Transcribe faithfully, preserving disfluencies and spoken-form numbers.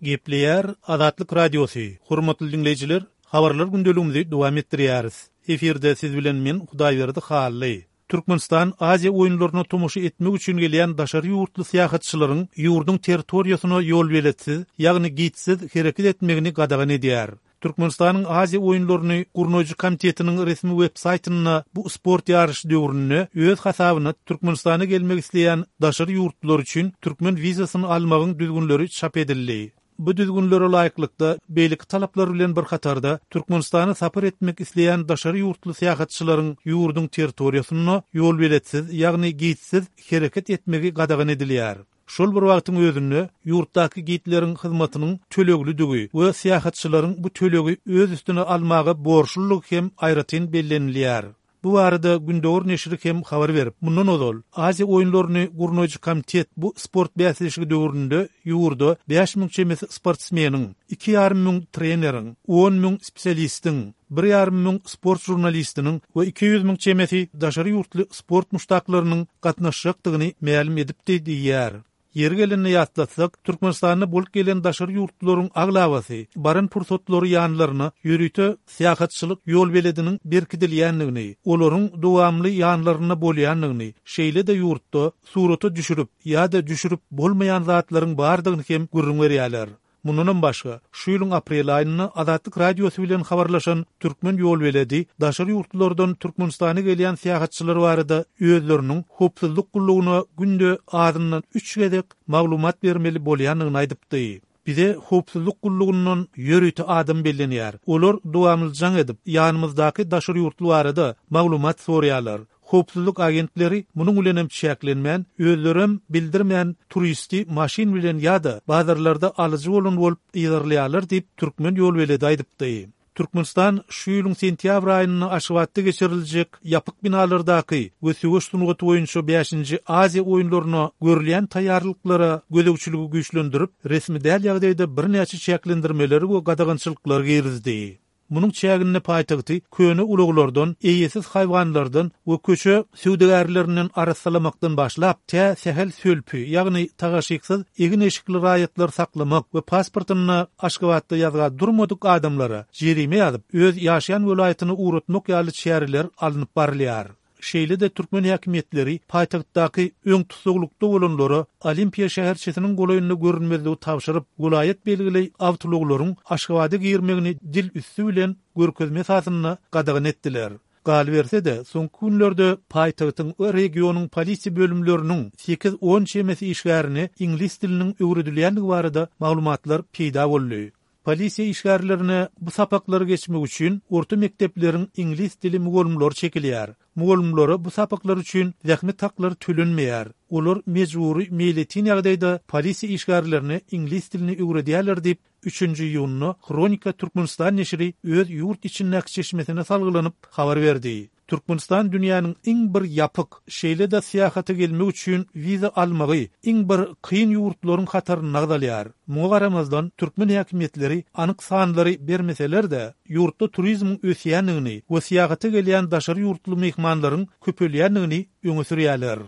Gepleýär Azatlyk Radiosy. Hormatly diňleýjiler, habarlar gündeligimizi dowam etdirýäris. Efirde siz bilen men Hudaýberdi Hally. Türkmenistan Aziýa oýunlaryna tomaşa etmek üçin gelýän daşary ýurtly syýahatçylaryň ýurduň territoriýasyna ýolbeletsiz, ýagny gidsiz hereket etmegini gadagan edýär. Türkmenistanyň Aziýa oýunlaryny gurnaýjy komitetiniň resmi web saýtynda bu sport ýaryşy döwründe öz hasabyna Türkmenistana gelmek isleýän daşary ýurtlular üçin türkmen wizasyny almagyň düzgünleri çap edildi. Bu düzgünlere laýyklykda beýleki talaplar bilen bir hatarda Türkmenistana sapar etmek isleýän daşary ýurtly syýahatçylaryň ýurduň territoriýasynda ýolbeletsiz, ýagny gidsiz hereket etmegi gadagan edilýär. Şol bir wagtyň özünde ýurtdaky gidleriň hyzmatynyň töleglidigi we syýahatçylaryň bu tölegi öz üstüne almaga borçlulygy hem aýratyn bellenilýär. Bu barada Gündogar neşiri hem habar berip, mundan ozal Aziýa oýunlaryny gurnaýjy komitet bu sport bäsleşigi döwründe ýurda bäş müň çemesi sportsmeniň, iki ýarym müň treneriň, on müň spesialistiň, bir ýarym müň sport žurnalistiniň we iki ýüz müň çemesi daşary ýurtly sport muşdaklarynyň gatnaşjakdygyny mälim edipdi diýýär. Ýeri gelende ýatlatsak, Türkmenistanda bolup gelen daşary ýurtlularyň aglabasy baran pursatlary ýanlaryna ýörite syýahatçylyk ýolbelediniň berkidilýändigini, olaryň dowamly ýanlarynda bolýandygyny, şeýle-de ýurtda surata düşürip ýa-da düşürip bolmaýan zatlaryň bardygyny hem gürrüň berýärler. Mundanam başga, şu ýylyň aprel aýynda Azatlyk Radiosy bilen habarlaşan türkmen ýolbeledi daşary ýurtlardan Türkmenistana gelýän syýahatçylar barada özleriniň howpsuzlyk gullugyna günde azyndan üç gezek maglumat bermeli bolýandygyny aýdypdy. Bize howpsuzlyk gullugyndan ýörite adam bellenýär. Olar dowamly jaň edip, ýanymyzdaky daşary ýurtly barada maglumat soraýarlar. Howpsuzlyk agentleri munuň bilen hem çäklenmän, özlerem bildirmän turisti maşyn bilen ýa-da bazarlarda alyjy bolan bolup yzarlaýarlar diýip türkmen ýolbeledi aýdypdy. Türkmenistan şu ýylyň sentýabr aýynda Aşgabatda geçiriljek ýapyk binalardaky we söweş sungaty boýunça bäşinji Aziýa oýunlaryna görülýän taýýarlyklara gözegçiligi güýçlendirip, resmi däl ýagdaýda birnäçe çäklendirmeleri we gadagançylyklary girizdi. Munuň çäginde paýtagty köne ulaglardan, eýesiz haýwanlardan we köçe söwdagärlerinden arassalamakdan başlap, tä sähel sölpi, ýagny tagaşyksyz egin-eşikli raýatlar saklamak we pasportynda Aşgabatda ýazga durmadyk adamlara jerime ýazyp, öz ýaşaýan welaýatyna ugratmak ýaly çäreler alnyp barylýar. Şeýle-de türkmen häkimiýetleri paýtagtdaky öň tussaglykda bolanlara Olimpiýa şäherçesiniň golaýynda görünmezligi tabşyryp, welaýat belgili awtoulaglaryň Aşgabada girmegini dil üsti bilen görkezme esasynda gadagan etdiler. Galyberse-de, soňky günlerde paýtagtyň we regionyň polisiýa bölümleriniň sekiz-on çemesi işgärine iňlis diliniň öwredilýändigi barada maglumatlar peýda boldy. Polisiýa işgärlerine bu sapaklary geçmek üçin orta mekdepleriň iňlis dili mugallymlary çekilýär. Mugallymlara bu sapaklar üçin zähmet haklary tölenmeýär. Olar mejbury meýletin ýagdaýda polisiýa işgärlerine iňlis dilini öwredýärler diýip, üçünji iýunda Hronika Türkmenistan neşiri öz ýurt içindäki çeşmesine salgylanyp habar berdi. Türkmenistan dünýäniň iň bir ýapyk, şeýle-de syýahata gelmek üçin wiza almagy iň bir kyn ýurtlaryň hatarynda agzalýar. Muňa garamazdan, türkmen häkimiýetleri anyk sanlary bermeseler-de, ýurtda turizmiň ösýändigini we syýahata gelýän daşary ýurtly myhmanlaryň köpelýändigini öňe sürýärler.